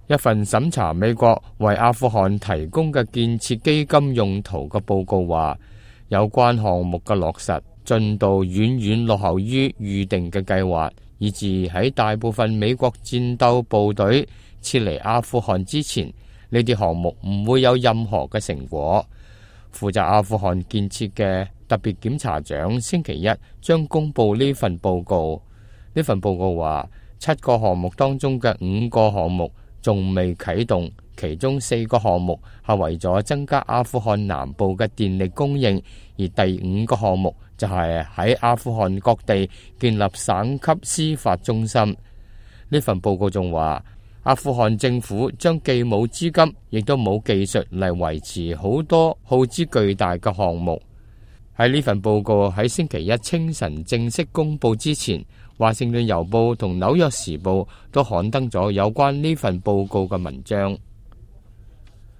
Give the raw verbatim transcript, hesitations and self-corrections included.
一份審查美國為阿富汗提供嘅建設基金用途嘅報告話，有關項目嘅落實進度遠遠落後於預定嘅計劃，以致喺大部分美國戰鬥部隊撤離阿富汗之前，呢啲項目唔會有任何嘅成果。負責阿富汗建設嘅特別檢察長星期一將公布呢份報告。呢份報告話，七個項目當中嘅五個項目仲未啟動，其中四個項目係為咗增加阿富汗南部嘅電力供應，而第五個項目就係喺阿富汗各地建立省級司法中心。呢份報告仲話，阿富汗政府將既冇資金，亦都冇技術嚟維持好多耗資巨大嘅項目。喺呢份報告喺星期一清晨正式公布之前，華盛頓郵報同紐約時報都刊登咗有關呢份報告嘅文章。